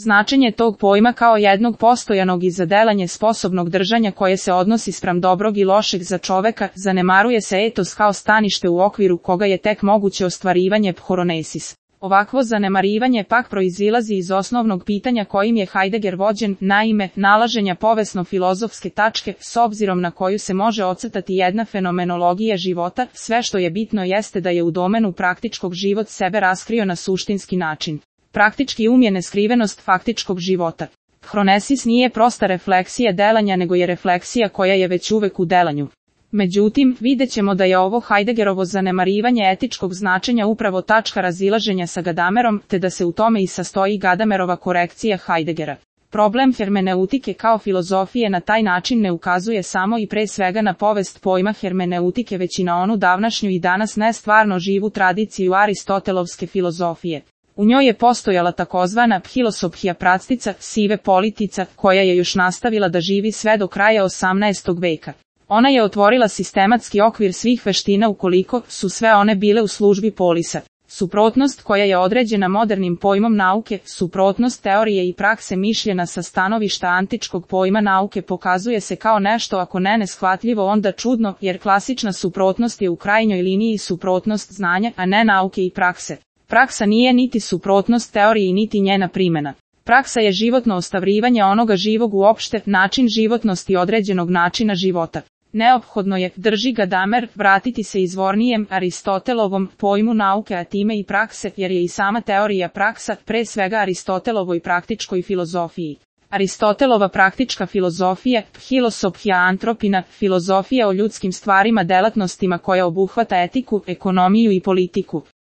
Značenje tog pojma kao jednog postojanog i za delanje sposobnog držanja koje se odnosi spram dobrog i lošeg za čoveka, zanemaruje se etos kao stanište u okviru koga je tek moguće ostvarivanje phronesis. Ovakvo zanemarivanje pak proizilazi iz osnovnog pitanja kojim je Heidegger vođen, naime, nalaženja povesno-filozofske tačke, s obzirom na koju se može ocrtati jedna fenomenologija života, sve što je bitno jeste da je u domenu praktičkog život sebe raskrio na suštinski način. Praktički je neskrivenost faktičkog života. Phronesis nije prosta refleksija delanja nego je refleksija koja je već uvek u delanju. Međutim, vidjet ćemo da je ovo Heideggerovo zanemarivanje etičkog značenja upravo tačka razilaženja sa Gadamerom, te da se u tome i sastoji Gadamerova korekcija Heideggera. Problem hermeneutike kao filozofije na taj način ne ukazuje samo i pre svega na povest pojma hermeneutike već i na onu davnašnju i danas nestvarno živu tradiciju Aristotelovske filozofije. U njoj je postojala takozvana philosophia prastica, sive politica, koja je još nastavila da živi sve do kraja 18. veka. Ona je otvorila sistematski okvir svih veština ukoliko su sve one bile u službi polisa. Suprotnost koja je određena modernim pojmom nauke, suprotnost teorije i prakse mišljena sa stanovišta antičkog pojma nauke pokazuje se kao nešto ako ne neshvatljivo onda čudno, jer klasična suprotnost je u krajnjoj liniji suprotnost znanja, a ne nauke i prakse. Praksa nije niti suprotnost teoriji niti njena primjena. Praksa je životno ostavljivanje onoga živog uopšte, način životnosti određenog načina života. Neophodno je, drži Gadamer, vratiti se izvornijem Aristotelovom pojmu nauke a time i prakse, jer je i sama teorija praksa, pre svega Aristotelovoj praktičkoj filozofiji. Aristotelova praktička filozofija, philosophia antropina, filozofija o ljudskim stvarima delatnostima koja obuhvata etiku, ekonomiju i politiku.